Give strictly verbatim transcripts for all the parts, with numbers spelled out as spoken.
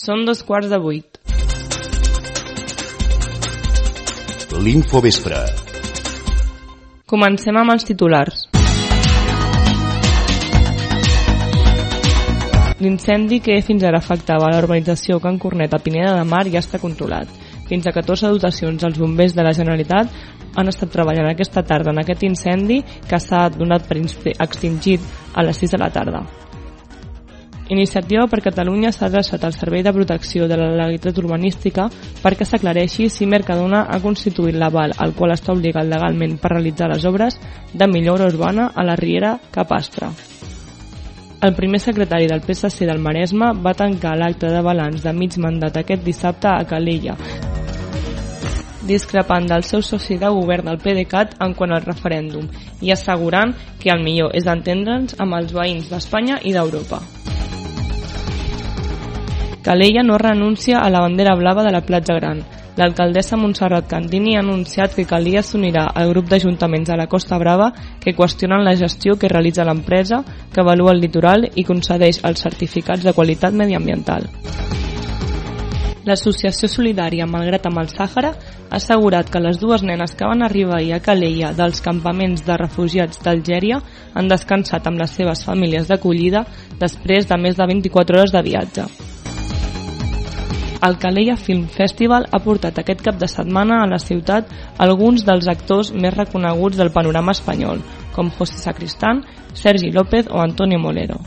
Són dos quarts de vuit. L'Infovespre. Comencem amb els titulars. L'incendi que fins ara afectava la urbanització Can Cornet a Pineda de Mar ja està controlat. Fins a catorze dotacions dels bombers de la Generalitat han estat treballant aquesta tarda en aquest incendi que s'ha donat per extingit a les sis de la tarda. Iniciativa per Catalunya s'ha adreçat al Servei de Protecció de la Legalitat Urbanística perquè s'aclareixi si Mercadona ha constituït l'aval al qual està obligat legalment per realitzar les obres de millora urbana a la Riera Capastre. El primer secretari del P S C del Maresme va tancar l'acte de balanç de mig mandat aquest dissabte a Calella, discrepant del seu soci de govern del PDeCAT en quant al referèndum i assegurant que el millor és entendre'ns amb els veïns d'Espanya i d'Europa. Calella no renuncia a la bandera blava de la Platja Gran. L'alcaldessa Montserrat Candini ha anunciat que Calella s'unirà al grup d'ajuntaments de la Costa Brava que qüestionen la gestió que realitza l'empresa que avalua el litoral i concedeix els certificats de qualitat mediambiental. L'Associació Solidària Malgrat amb el Sàhara ha assegurat que les dues nenes que van arribar ahir a Calella dels campaments de refugiats d'Algèria han descansat amb les seves famílies d'acollida després de més de vint-i-quatre hores de viatge. El Calella Film Festival ha portat aquest cap de setmana a la ciutat alguns dels actors més reconeguts del panorama espanyol, com José Sacristán, Sergi López o Antonio Molero.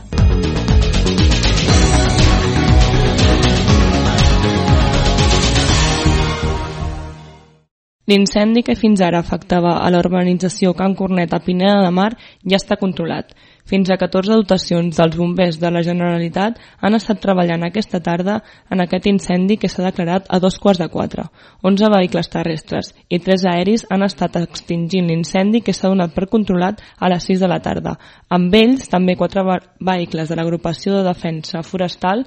L'incendi que fins ara afectava a la urbanització Can Cornet a Pineda de Mar ja està controlat. Fins a catorze dotacions dels bombers de la Generalitat han estat treballant aquesta tarda en aquest incendi que s'ha declarat a dos quarts de quatre. onze vehicles terrestres i tres aeris han estat extingint l'incendi que s'ha donat per controlat a les sis de la tarda. Amb ells també quatre vehicles de l'agrupació de defensa forestal,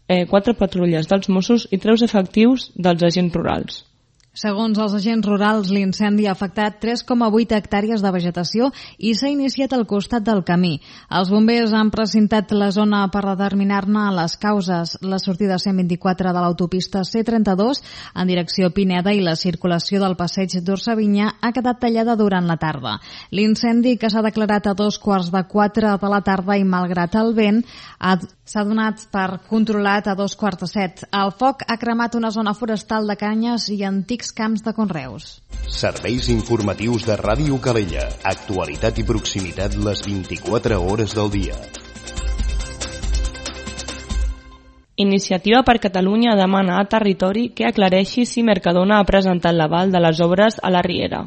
eh, quatre patrulles dels Mossos i tres efectius dels agents rurals. Segons els agents rurals, l'incendi ha afectat tres coma vuit hectàrees de vegetació i s'ha iniciat al costat del camí. Els bombers han precintat la zona per determinar-ne les causes. La sortida cent vint-i-quatre de l'autopista C trenta-dos en direcció Pineda i la circulació del passeig d'Orsavinyà ha quedat tallada durant la tarda. L'incendi, que s'ha declarat a dos quarts de quatre de la tarda i malgrat el vent, s'ha donat per controlat a dos quarts de set. El foc ha cremat una zona forestal de canyes i antics camps de conreus. Serveis informatius de Ràdio Calella. Actualitat i proximitat les vint-i-quatre hores del dia. Iniciativa per Catalunya demana a Territori que aclareixi si Mercadona ha presentat l'aval de les obres a la Riera.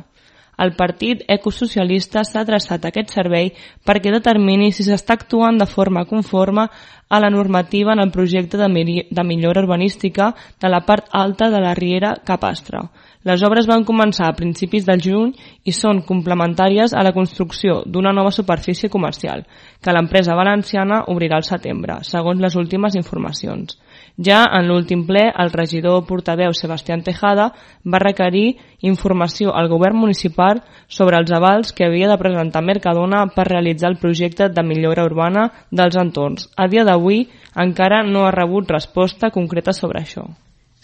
El partit ecosocialista s'ha adreçat a aquest servei perquè determini si s'està actuant de forma conforme a la normativa en el projecte de millora urbanística de la part alta de la Riera Capastre. Les obres van començar a principis del juny i són complementàries a la construcció d'una nova superfície comercial, que l'empresa valenciana obrirà al setembre, segons les últimes informacions. Ja en l'últim ple, el regidor portaveu Sebastián Tejada va requerir informació al govern municipal sobre els avals que havia de presentar Mercadona per realitzar el projecte de millora urbana dels entorns. A dia d'avui encara no ha rebut resposta concreta sobre això.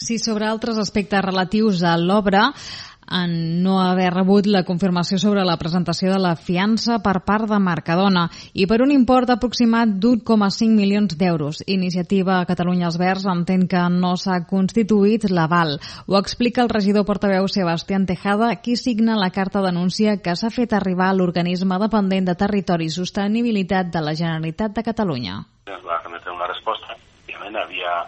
Sí, sobre altres aspectes relatius a l'obra, en no haver rebut la confirmació sobre la presentació de la fiança per part de Mercadona i per un import aproximat d'un coma cinc milions d'euros. Iniciativa Catalunya Els Verds entén que no s'ha constituït l'aval. Ho explica el regidor portaveu Sebastián Tejada, qui signa la carta d'anúncia que s'ha fet arribar a l'organisme dependent de Territori i Sostenibilitat de la Generalitat de Catalunya. Ens va remetre una resposta. Òbviament havia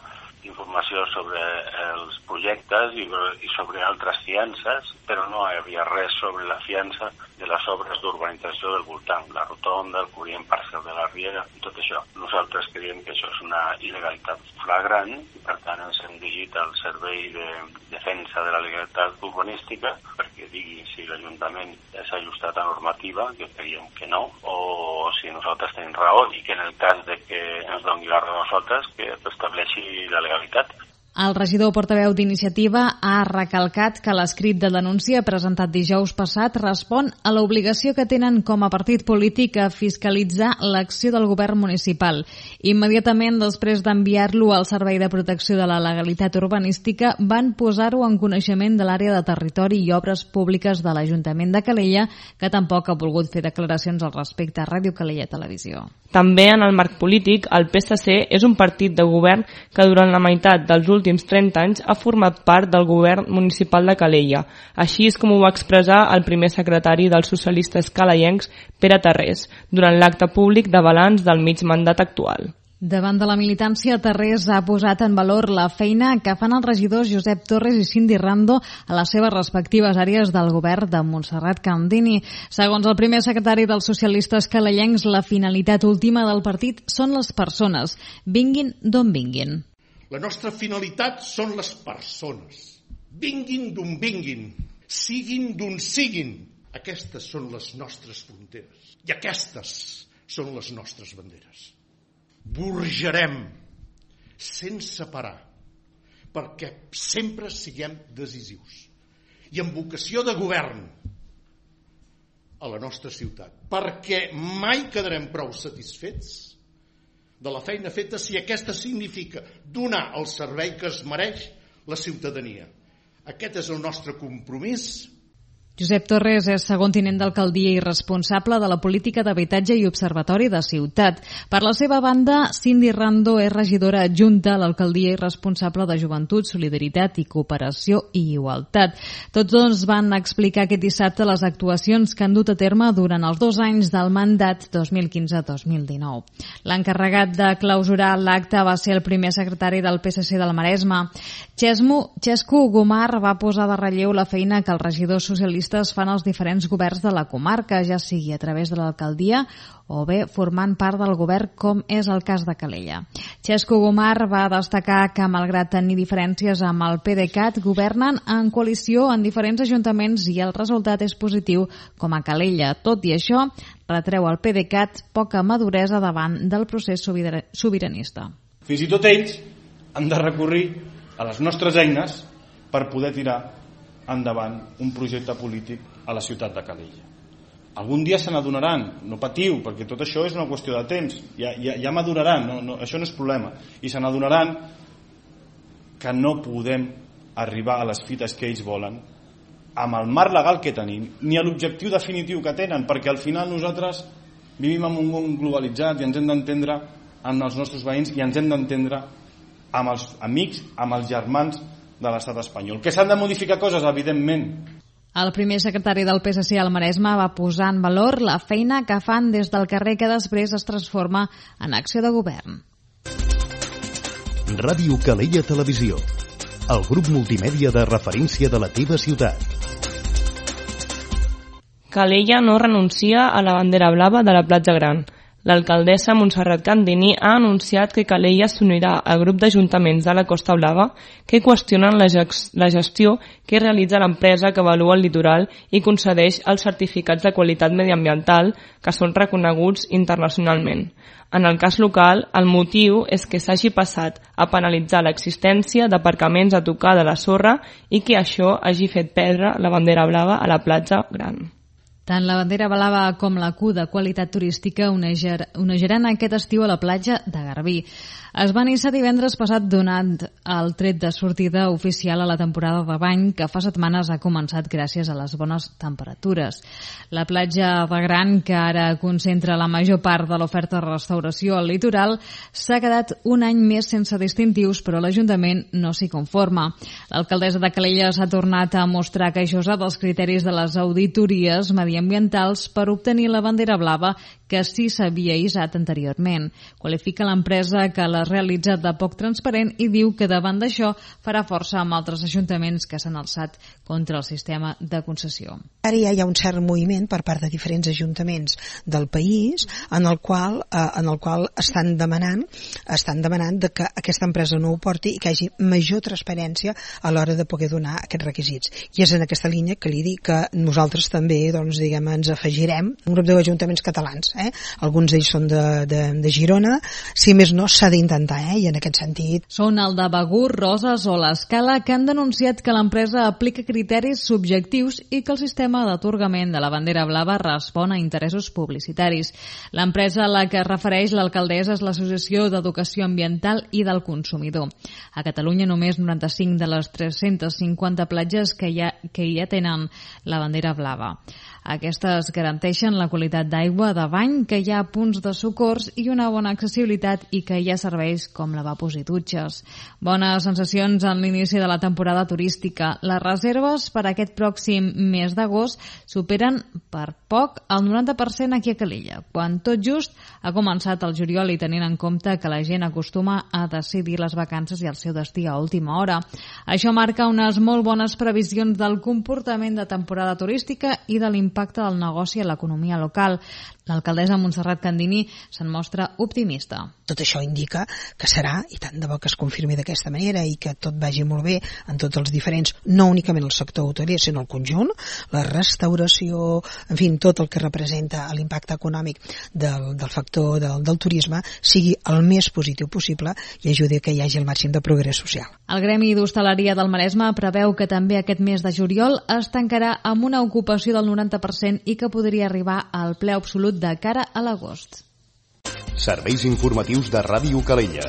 informació sobre els projectes i, i sobre altres fiances, però no hi havia res sobre la fiança de les obres d'urbanització del voltant, la rotonda, el corrent parcial de la Riera, tot això. Nosaltres creiem que això és una il·legalitat flagrant i per tant ens hem dirigit al Servei de Defensa de la Legalitat Urbanística perquè digui si l'Ajuntament s'ha ajustat a normativa, que creiem que no, o si nosaltres tenim raó i que en el cas de que ens doni la raó a nosaltres, que estableixi la legalitat. El regidor portaveu d'Iniciativa ha recalcat que l'escrit de denúncia presentat dijous passat respon a l'obligació que tenen com a partit polític a fiscalitzar l'acció del govern municipal. Immediatament després d'enviar-lo al Servei de Protecció de la Legalitat Urbanística van posar-ho en coneixement de l'àrea de territori i obres públiques de l'Ajuntament de Calella, que tampoc ha volgut fer declaracions al respecte a Ràdio Calella Televisió. També en el marc polític, el P S C és un partit de govern que durant la meitat dels últims trenta anys ha format part del govern municipal de Calella. Així és com ho va expressar el primer secretari dels socialistes calellencs, Pere Tarrés, durant l'acte públic de balanç del mig mandat actual. Davant de la militància, Tarrés ha posat en valor la feina que fan els regidors Josep Torres i Cindy Rando a les seves respectives àrees del govern de Montserrat Candini. Segons el primer secretari dels socialistes calellencs, la finalitat última del partit són les persones, vinguin d'on vinguin. La nostra finalitat són les persones, vinguin d'on vinguin, siguin d'on siguin. Aquestes són les nostres fronteres i aquestes són les nostres banderes. Burgerem sense parar perquè sempre siguem decisius i amb vocació de govern a la nostra ciutat, perquè mai quedarem prou satisfets de la feina feta si aquesta significa donar el servei que es mereix la ciutadania. Aquest és el nostre compromís. Josep Torres és segon tinent d'alcaldia i responsable de la política d'habitatge i observatori de ciutat. Per la seva banda, Cindy Rando és regidora adjunta a l'alcaldia i responsable de Joventut, Solidaritat i Cooperació i Igualtat. Tots dos van explicar aquest dissabte les actuacions que han dut a terme durant els dos anys del mandat dos mil quinze dos mil dinou. L'encarregat de clausurar l'acte va ser el primer secretari del P S C del Maresme. Xesco Gomar va posar de relleu la feina que els regidors socialistes fan els diferents governs de la comarca, ja sigui a través de l'alcaldia o bé formant part del govern, com és el cas de Calella. Xesco Gomar va destacar que, malgrat tenir diferències amb el PDeCAT, governen en coalició en diferents ajuntaments i el resultat és positiu com a Calella. Tot i això, retreu al PDeCAT poca maduresa davant del procés sobiranista. Fins i tot ells han de recurrir a les nostres eines per poder tirar endavant un projecte polític a la ciutat de Calella. Algun dia se n'adonaran, no patiu, perquè tot això és una qüestió de temps, ja, ja, ja maduraran, no, no, això no és problema, i se n'adonaran que no podem arribar a les fites que ells volen amb el marc legal que tenim, ni a l'objectiu definitiu que tenen, perquè al final nosaltres vivim en un món globalitzat i ens hem d'entendre amb els nostres veïns i ens hem d'entendre amb els amics, amb els germans de l'estat espanyol. Que s'han de modificar coses, evidentment. El primer secretari del P S C al Maresme va posar en valor la feina que fan des del carrer que després es transforma en acció de govern. Ràdio Calella Televisió, el grup multimèdia de referència de la teva ciutat. Calella no renuncia a la bandera blava de la Platja Gran. L'alcaldessa Montserrat Candini ha anunciat que Calella s'unirà al grup d'ajuntaments de la Costa Blava que qüestionen la, la gestió que realitza l'empresa que avalua el litoral i concedeix els certificats de qualitat mediambiental que són reconeguts internacionalment. En el cas local, el motiu és que s'hagi passat a penalitzar l'existència d'aparcaments a tocar de la sorra i que això hagi fet perdre la bandera blava a la Platja Gran. Tant la bandera blava com la Q de qualitat turística onejaran aquest estiu a la platja de Garbí. Es va iniciar divendres passat donant el tret de sortida oficial a la temporada de bany que fa setmanes ha començat gràcies a les bones temperatures. La platja de Gran, que ara concentra la major part de l'oferta de restauració al litoral, s'ha quedat un any més sense distintius, però l'Ajuntament no s'hi conforma. L'alcaldessa de Calella s'ha tornat a mostrar queixosa dels criteris de les auditories mediambientals per obtenir la bandera blava que sí s'havia hissat anteriorment. Qualifica l'empresa que l'ha realitzat de poc transparent i diu que davant d'això farà força amb altres ajuntaments que s'han alçat contra el sistema de concessió. Ara ja hi ha un cert moviment per part de diferents ajuntaments del país en el qual, eh, en el qual estan demanant estan demanant de que aquesta empresa no ho porti i que hi hagi major transparència a l'hora de poder donar aquests requisits. I és en aquesta línia que li dic que nosaltres també doncs, diguem, ens afegirem un grup d'ajuntaments catalans. Eh? Alguns d'ells són de, de, de Girona. Si més no, s'ha d'intentar intentar, eh? I en aquest sentit... Són el de Begur, Roses o l'Escala, que han denunciat que l'empresa aplica criteris subjectius i que el sistema d'atorgament de la bandera blava respon a interessos publicitaris. L'empresa a la que es refereix l'alcaldessa és l'Associació d'Educació Ambiental i del Consumidor. A Catalunya només noranta-cinc de les tres-centes cinquanta platges que ja, que ja tenen la bandera blava. Aquestes garanteixen la qualitat d'aigua de bany, que hi ha punts de socors i una bona accessibilitat i que hi ha serveis com lavabos i dutxes. Bones sensacions en l'inici de la temporada turística. Les reserves per a aquest pròxim mes d'agost superen per poc el noranta per cent aquí a Calella, quan tot just ha començat el juliol i tenint en compte que la gent acostuma a decidir les vacances i el seu destí a última hora. Això marca unes molt bones previsions del comportament de temporada turística i de l'impacte impacte del negoci a l'economia local. L'alcaldessa Montserrat Candini se'n mostra optimista. Tot això indica que serà, i tant de bo que es confirmi d'aquesta manera i que tot vagi molt bé en tots els diferents, no únicament el sector hotelier, sinó el conjunt, la restauració, en fi, tot el que representa l'impacte econòmic del, del factor del, del turisme sigui el més positiu possible i ajudi a que hi hagi el màxim de progrés social. El Gremi d'Hostaleria del Maresme preveu que també aquest mes de juliol es tancarà amb una ocupació del noranta per cent i que podria arribar al ple absolut de cara a l'agost. Serveis informatius de Ràdio Calella.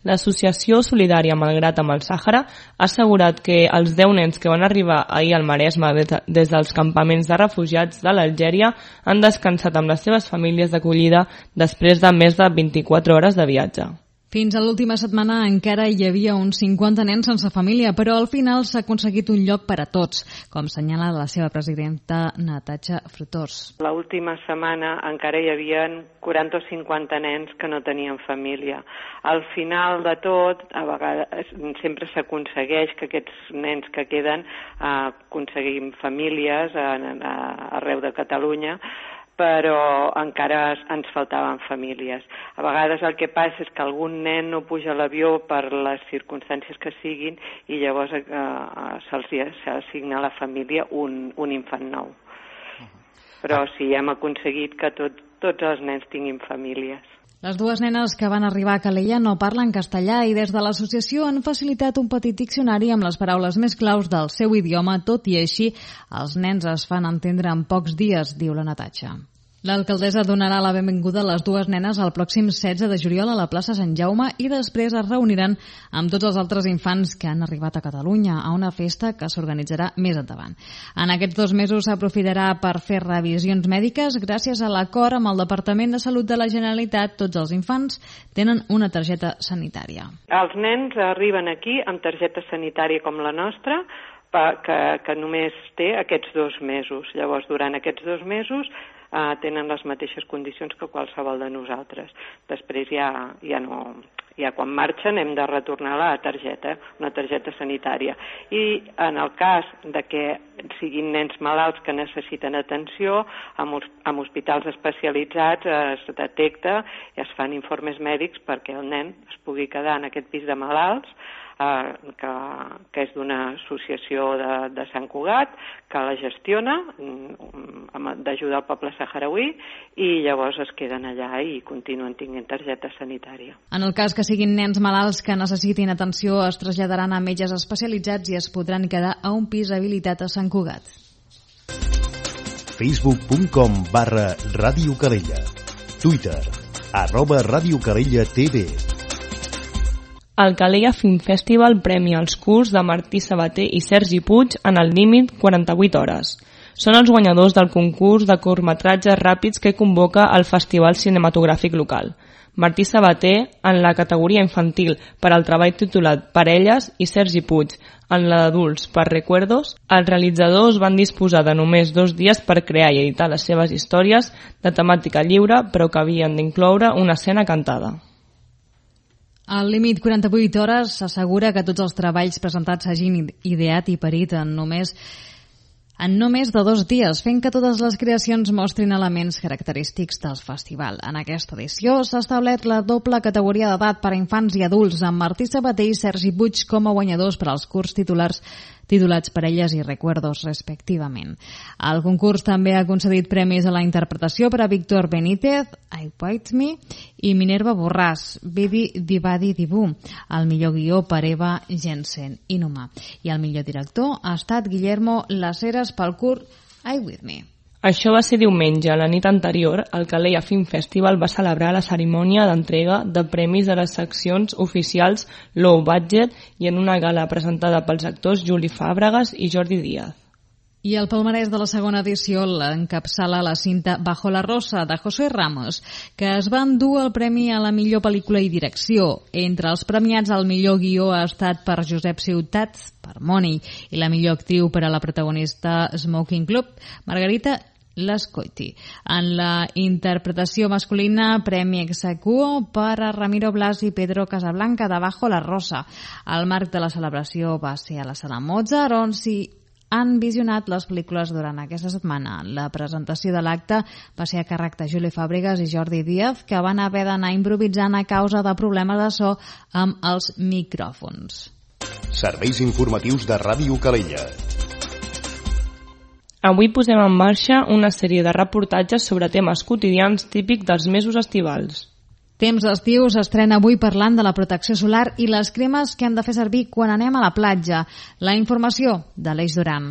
L'Associació Solidària Malgrat amb el Sàhara ha assegurat que els deu nens que van arribar ahir al Maresme des dels campaments de refugiats de l'Algèria han descansat amb les seves famílies d'acollida després de més de vint-i-quatre hores de viatge. Fins a l'última setmana encara hi havia uns cinquanta nens sense família, però al final s'ha aconseguit un lloc per a tots, com senyala la seva presidenta Natatxa Fruitós. L'última setmana encara hi havia quaranta o cinquanta nens que no tenien família. Al final de tot, a vegades sempre s'aconsegueix que aquests nens que queden eh, aconseguim famílies a, a, arreu de Catalunya, però encara ens faltaven famílies. A vegades el que passa és que algun nen no puja a l'avió per les circumstàncies que siguin i llavors eh, se'ls assigna a la família un, un infant nou. Però sí, hem aconseguit que tot, tots els nens tinguin famílies. Les dues nenes que van arribar a Calella no parlen castellà i des de l'associació han facilitat un petit diccionari amb les paraules més claus del seu idioma, tot i així els nens es fan entendre en pocs dies, diu la Natatxa. L'alcaldessa donarà la benvinguda a les dues nenes el pròxim setze de juliol a la plaça Sant Jaume i després es reuniran amb tots els altres infants que han arribat a Catalunya a una festa que s'organitzarà més endavant. En aquests dos mesos s'aprofitarà per fer revisions mèdiques. Gràcies a l'acord amb el Departament de Salut de la Generalitat, tots els infants tenen una targeta sanitària. Els nens arriben aquí amb targeta sanitària com la nostra, que, que només té aquests dos mesos. Llavors, durant aquests dos mesos Uh, tenen les mateixes condicions que qualsevol de nosaltres. Després ja, ja no, ja quan marxen hem de retornar la targeta, una targeta sanitària. I en el cas de que siguin nens malalts que necessiten atenció, amb, amb hospitals especialitzats es detecta i es fan informes mèdics perquè el nen es pugui quedar en aquest pis de malalts, Uh, que, que és d'una associació de, de Sant Cugat, que la gestiona um, d'ajuda al poble saharauí i llavors es queden allà i continuen tinguent targeta sanitària. En el cas que siguin nens malalts que necessitin atenció, es traslladaran a metges especialitzats i es podran quedar a un pis habilitat a Sant Cugat. facebook punt com barra Ràdio Calella. Twitter, arroba Ràdio Calella T V. El Calella Film Festival premia els curts de Martí Sabater i Sergi Puig en el límit quaranta-vuit hores. Són els guanyadors del concurs de curtmetratges ràpids que convoca el Festival Cinematogràfic Local. Martí Sabater en la categoria infantil per al treball titulat Parelles i Sergi Puig en la d'adults per Recuerdos. Els realitzadors van disposar de només dos dies per crear i editar les seves històries de temàtica lliure, però que havien d'incloure una escena cantada. Al límit quaranta-vuit hores s'assegura que tots els treballs presentats s'hagin ideat i parit en només en no més de dos dies, fent que totes les creacions mostrin elements característics del festival. En aquesta edició s'ha establert la doble categoria d'edat per a infants i adults, amb Martí Sabater i Sergi Puig com a guanyadors per als curts titulars titulats Parelles i Recuerdos, respectivament. El concurs també ha concedit premis a la interpretació per a Víctor Benítez, I Bite Me, i Minerva Borràs, Bidi Dibadi Dibu, el millor guió per Eva Jensen, Inuma, i el millor director ha estat Guillermo Las Heras pel curt I With Me. Això va ser diumenge. La nit anterior, el Calella Film Festival va celebrar la cerimònia d'entrega de premis de les seccions oficials Low Budget i en una gala presentada pels actors Juli Fàbregas i Jordi Díaz. I el palmarès de la segona edició l'encapçala la cinta Bajo la Rosa, de José Ramos, que es va endur el premi a la millor pel·lícula i direcció. Entre els premiats, el millor guió ha estat per Josep Ciutat, per Moni, i la millor actriu per a la protagonista Smoking Club, Margarita Lascoiti. En la interpretació masculina, premi ex aequo per a Ramiro Blas i Pedro Casablanca de Bajo la Rosa. El marc de la celebració va ser a la Sala Mozart, on s'hi han visionat les pel·lícules durant aquesta setmana. La presentació de l'acte va ser a càrrec de Juli Fàbregas i Jordi Díaz, que van haver d'anar improvisant a causa de problemes de so amb els micròfons. Serveis informatius de Ràdio Calella. Avui posem en marxa una sèrie de reportatges sobre temes quotidians típics dels mesos estivals. Temps d'estiu s'estrena avui parlant de la protecció solar i les cremes que hem de fer servir quan anem a la platja. La informació de l'Eix Duran.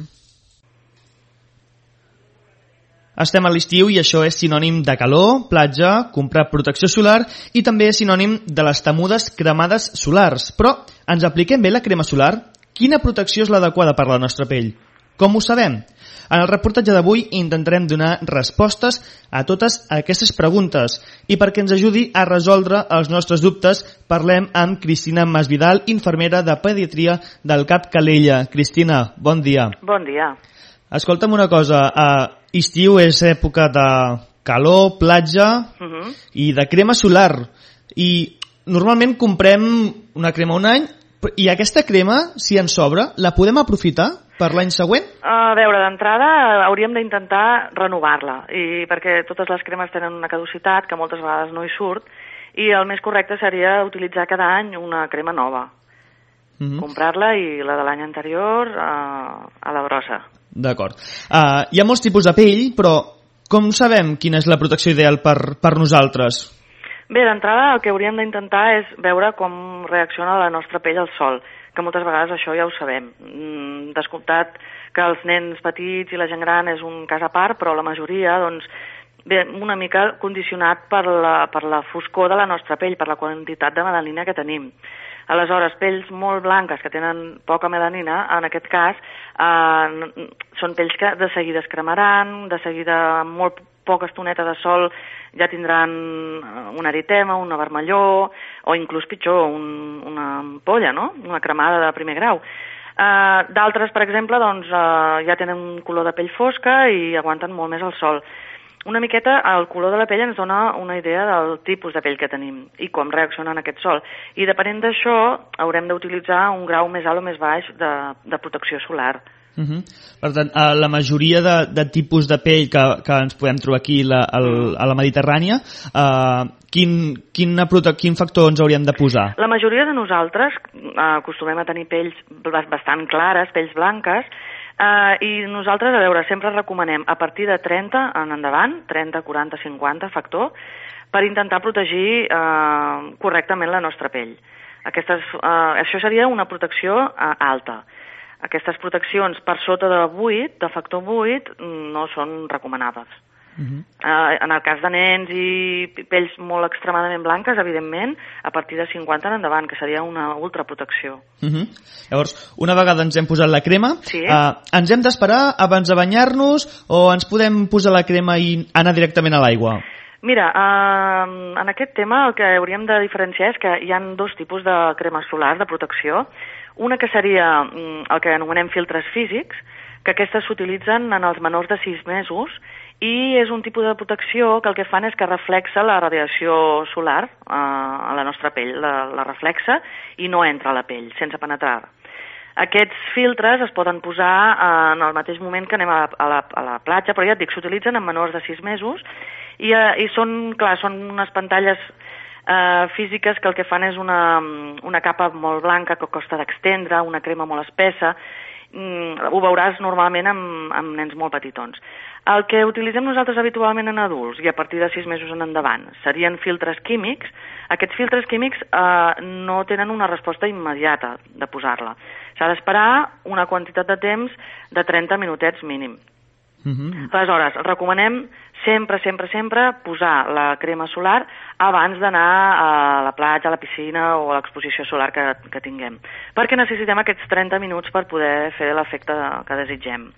Estem a l'estiu i això és sinònim de calor, platja, comprar protecció solar i també és sinònim de les temudes cremades solars. Però ens apliquem bé la crema solar? Quina protecció és l'adequada per a la nostra pell? Com ho sabem? En el reportatge d'avui intentarem donar respostes a totes aquestes preguntes i perquè ens ajudi a resoldre els nostres dubtes parlem amb Cristina Masvidal, infermera de pediatria del C A P Calella. Cristina, bon dia. Bon dia. Escolta'm una cosa, uh, estiu és època de calor, platja uh -huh. i de crema solar i normalment comprem una crema un any i aquesta crema, si ens sobra, la podem aprofitar per l'any següent? A veure, d'entrada hauríem d'intentar renovar-la, i perquè totes les cremes tenen una caducitat que moltes vegades no hi surt, i el més correcte seria utilitzar cada any una crema nova. Uh-huh. Comprar-la i la de l'any anterior uh, a la brossa. D'acord. Uh, hi ha molts tipus de pell, però com sabem quina és la protecció ideal per, per nosaltres? Bé, d'entrada el que hauríem d'intentar és veure com reacciona la nostra pell al sol, que moltes vegades això ja ho sabem. Descomptat que els nens petits i la gent gran és un cas a part, però la majoria, doncs, ve una mica condicionat per la, per la foscor de la nostra pell, per la quantitat de melanina que tenim. Aleshores, pells molt blanques que tenen poca melanina, en aquest cas, eh, són pells que de seguida es cremaran, de seguida amb molt poca estoneta de sol ja tindran un eritema, una vermellor, o inclús pitjor, un, una ampolla, no? Una cremada de primer grau. Uh, D'altres, per exemple, doncs, uh, ja tenen un color de pell fosca i aguanten molt més el sol. Una miqueta el color de la pell ens dona una idea del tipus de pell que tenim i com reacciona en aquest sol. I depenent d'això haurem d'utilitzar un grau més alt o més baix de, de protecció solar. Uh-huh. Per tant, a la majoria de, de tipus de pell que, que ens podem trobar aquí la, el, a la Mediterrània, uh, quin, quin, quin factor ens hauríem de posar? La majoria de nosaltres uh, acostumem a tenir pells bastant clares, pells blanques, uh, i nosaltres, a veure, sempre recomanem a partir de trenta en endavant, trenta, quaranta, cinquanta factor, per intentar protegir uh, correctament la nostra pell. Aquestes, uh, això seria una protecció uh, alta. Aquestes proteccions per sota de vuit, de factor vuit, no són recomanades. Uh-huh. Uh, en el cas de nens i pells molt extremadament blanques, evidentment, a partir de cinquanta en endavant, que seria una ultraprotecció. Uh-huh. Llavors, una vegada ens hem posat la crema, sí. uh, ens hem d'esperar abans de banyar-nos o ens podem posar la crema i anar directament a l'aigua? Mira, uh, en aquest tema el que hauríem de diferenciar és que hi ha dos tipus de cremes solars de protecció. Una que seria el que anomenem filtres físics, que aquestes s'utilitzen en els menors de sis mesos i és un tipus de protecció que el que fan és que reflexa la radiació solar eh, a la nostra pell, la, la reflexa i no entra a la pell, sense penetrar. Aquests filtres es poden posar eh, en el mateix moment que anem a la, a la, a la platja, però ja et dic, s'utilitzen en menors de sis mesos i, eh, i són, clar, són unes pantalles Uh, físiques que el que fan és una, una capa molt blanca que costa d'extendre, una crema molt espessa mm, ho veuràs normalment amb, amb nens molt petitons. El que utilitzem nosaltres habitualment en adults i a partir de sis mesos en endavant serien filtres químics. Aquests filtres químics eh, no tenen una resposta immediata de posar-la. S'ha d'esperar una quantitat de temps de trenta minutets mínim. Uh-huh. Aleshores, recomanem sempre, sempre, sempre posar la crema solar abans d'anar a la platja, a la piscina o a l'exposició solar que, que tinguem, perquè necessitem aquests trenta minuts per poder fer l'efecte que desitgem.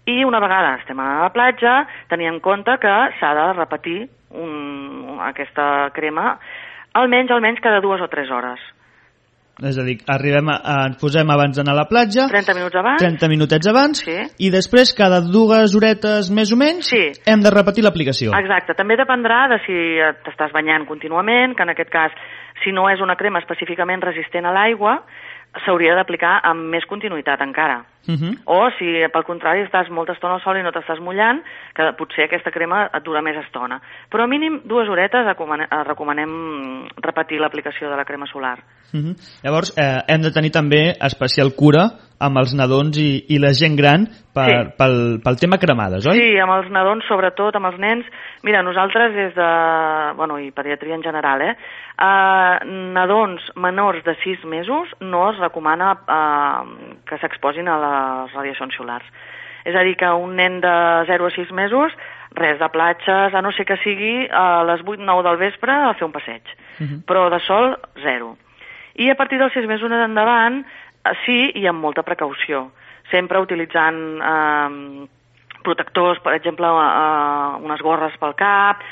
I una vegada estem a la platja, tenir en compte que s'ha de repetir un, aquesta crema almenys, almenys cada dues o tres hores. És a dir, arribem a, a, ens posem abans d'anar a la platja, trenta minuts abans, trenta minutets abans, sí. I després cada dues horetes més o menys sí. Hem de repetir l'aplicació. Exacte, també dependrà de si t'estàs banyant contínuament, que en aquest cas, si no és una crema específicament resistent a l'aigua, s'hauria d'aplicar amb més continuïtat encara. Uh-huh. O si, pel contrari, estàs molta estona al sol i no t'estàs mullant, que potser aquesta crema et dura més estona. Però mínim dues horetes recomanem repetir l'aplicació de la crema solar. Uh-huh. Llavors, eh, hem de tenir també especial cura amb els nadons i, i la gent gran per, sí. pel, pel tema cremades, oi? Sí, amb els nadons, sobretot, amb els nens. Mira, nosaltres des de... Bueno, i pediatria en general, eh? Uh, nadons menors de sis mesos no es recomana uh, que s'exposin a les radiacions solars. És a dir, que un nen de zero a sis mesos, res de platges, a no ser que sigui a les vuit o nou del vespre a fer un passeig. Uh-huh. Però de sol, zero. I a partir dels sis mesos endavant, sí, i amb molta precaució. Sempre utilitzant eh, protectors, per exemple, eh, unes gorres pel cap,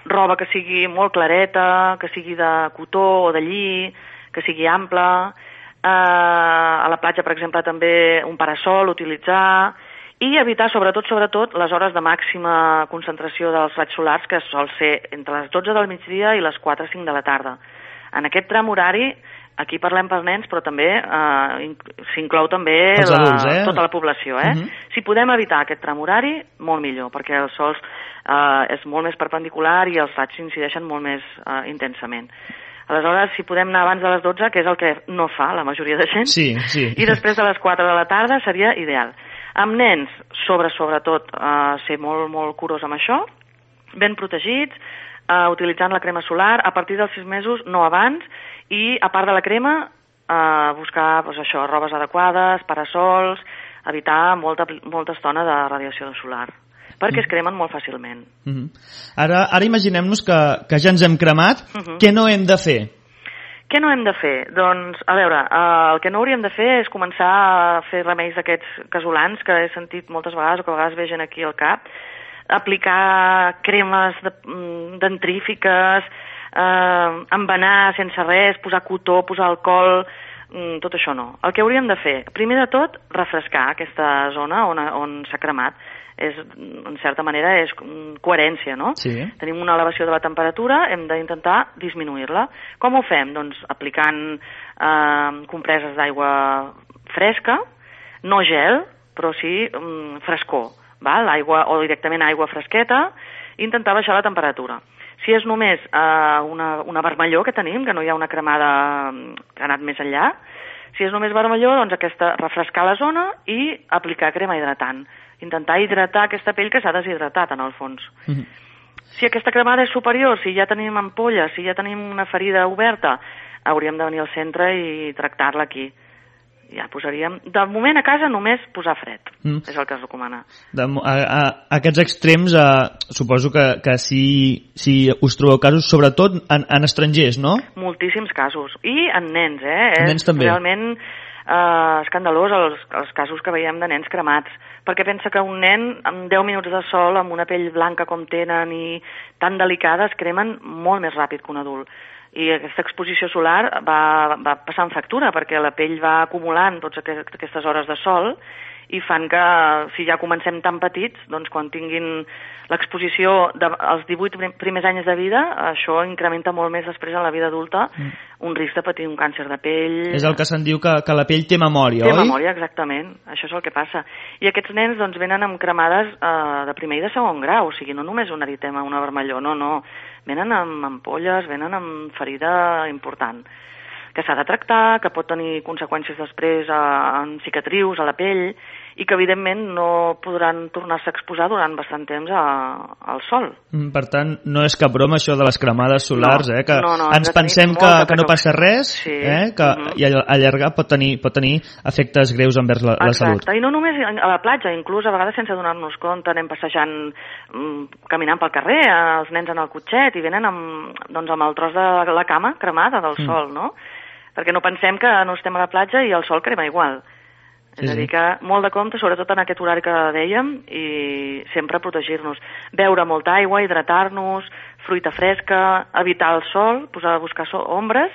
roba que sigui molt clareta, que sigui de cotó o de lli, que sigui ampla. Eh, a la platja, per exemple, també un parasol utilitzar, i evitar, sobretot, sobretot, les hores de màxima concentració dels raigs solars, que sol ser entre les dotze del migdia i les quatre o cinc de la tarda. En aquest tram horari, aquí parlem per nens, però també eh, s'inclou també la, adults, eh? tota la població. Eh? Uh-huh. Si podem evitar aquest tram horari, molt millor, perquè el sol eh, és molt més perpendicular i els raigs incideixen molt més eh, intensament. Aleshores, si podem anar abans de les dotze, que és el que no fa la majoria de gent, sí, sí. I després de les quatre de la tarda seria ideal. Amb nens, sobre, sobretot, eh, ser molt, molt curós amb això, ben protegits, eh, utilitzant la crema solar, a partir dels sis mesos, no abans, i a part de la crema, eh, buscar doncs, això, robes adequades, parasols, evitar molta, molta estona de radiació solar, perquè es cremen molt fàcilment. Uh-huh. Ara, ara imaginem-nos que, que ja ens hem cremat, uh-huh. Què no hem de fer? Què no hem de fer? Doncs, a veure, eh, el que no hauríem de fer és començar a fer remeis d'aquests casolans que he sentit moltes vegades o que a vegades ve gent aquí al cap, aplicar cremes de, dentrífiques, eh, envenar sense res, posar cotó, posar alcohol, tot això no. El que hauríem de fer, primer de tot, refrescar aquesta zona on, on s'ha cremat. És, en certa manera, és coherència, no? Sí. Tenim una elevació de la temperatura, hem d'intentar disminuir-la. Com ho fem? Doncs aplicant eh, compreses d'aigua fresca, no gel, però sí mm, frescor, val? Aigua, o directament aigua fresqueta, i intentar baixar la temperatura. Si és només eh, una, una vermellor que tenim, que no hi ha una cremada que ha anat més enllà, si és només vermellor, doncs aquesta, refrescar la zona i aplicar crema hidratant. Intentar hidratar aquesta pell que s'ha deshidratat, en el fons. Mm-hmm. Si aquesta cremada és superior, si ja tenim ampolles, si ja tenim una ferida oberta, hauríem de venir al centre i tractar-la aquí. Ja posaríem... De moment a casa només posar fred, mm. és el que es recomana. De, a, a, a aquests extrems, eh, suposo que, que si, si us trobeu casos, sobretot en, en estrangers, no? Moltíssims casos. I en nens, eh? Nens és també. Realment eh, escandalós els, els casos que veiem de nens cremats, perquè pensa que un nen amb deu minuts de sol, amb una pell blanca com tenen i tan delicada, es cremen molt més ràpid que un adult. I aquesta exposició solar va, va passant factura, perquè la pell va acumulant totes aquestes hores de sol i fan que, si ja comencem tan petits, doncs quan tinguin l'exposició als divuit primers anys de vida, això incrementa molt més després en la vida adulta, mm. un risc de patir un càncer de pell... És el que se'n diu que, que la pell té memòria, té oi? Té memòria, exactament. Això és el que passa. I aquests nens doncs, venen amb cremades eh, de primer i de segon grau, o sigui, no només un eritema, una vermellor, no, no. Venen amb ampolles, venen amb ferida important. que s'ha de tractar, que pot tenir conseqüències després en cicatrius, a la pell, i que evidentment no podran tornar-se a exposar durant bastant temps a, al sol. Per tant, no és cap broma això de les cremades solars, no, eh? Que no, no, ens pensem que, que no passa res, sí. eh? Que uh-huh. i allargar pot tenir, pot tenir efectes greus envers la, la salut. Exacte, i no només a la platja, inclús a vegades sense donar-nos compte, anem passejant, caminant pel carrer, els nens en el cotxet, i venen amb, doncs, amb el tros de la cama cremada del mm. sol, no? Perquè no pensem que no estem a la platja i el sol crema igual. Sí, és a dir, que molt de compte, sobretot en aquest horari que dèiem, i sempre protegir-nos. Beure molta aigua, hidratar-nos, fruita fresca, evitar el sol, posar a buscar ombres,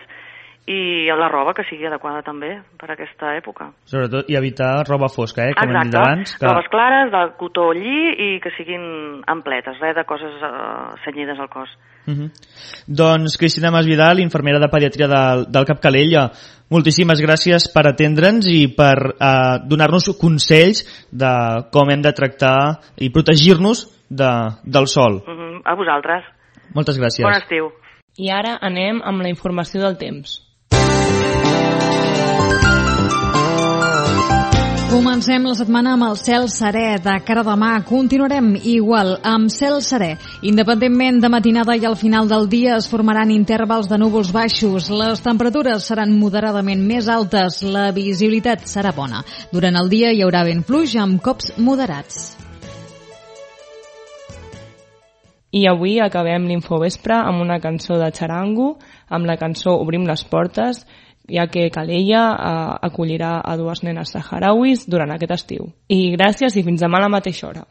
i la roba que sigui adequada també per a aquesta època. Sobretot, i evitar roba fosca, eh? Com Exacte, hem dit abans, que... robes clares, de cotó lli, i que siguin ampletes, res de coses uh, cenyides al cos. Uh-huh. Doncs Cristina Masvidal, infermera de pediatria del, del Cap Calella, moltíssimes gràcies per atendre'ns i per eh, donar-nos consells de com hem de tractar i protegir-nos de, del sol. Uh-huh. A vosaltres. Moltes gràcies. Bon estiu. I ara anem amb la informació del temps. Comencem la setmana amb el cel serè. De cara a demà continuarem igual, amb cel serè. Independentment de matinada i al final del dia es formaran intervals de núvols baixos. Les temperatures seran moderadament més altes. La visibilitat serà bona. Durant el dia hi haurà vent fluix amb cops moderats. I avui acabem l'Infovespre amb una cançó de Charango, amb la cançó Obrim les portes, ja que Calella eh, acollirà a dues nenes saharauis durant aquest estiu. I gràcies i fins demà a la mateixa hora.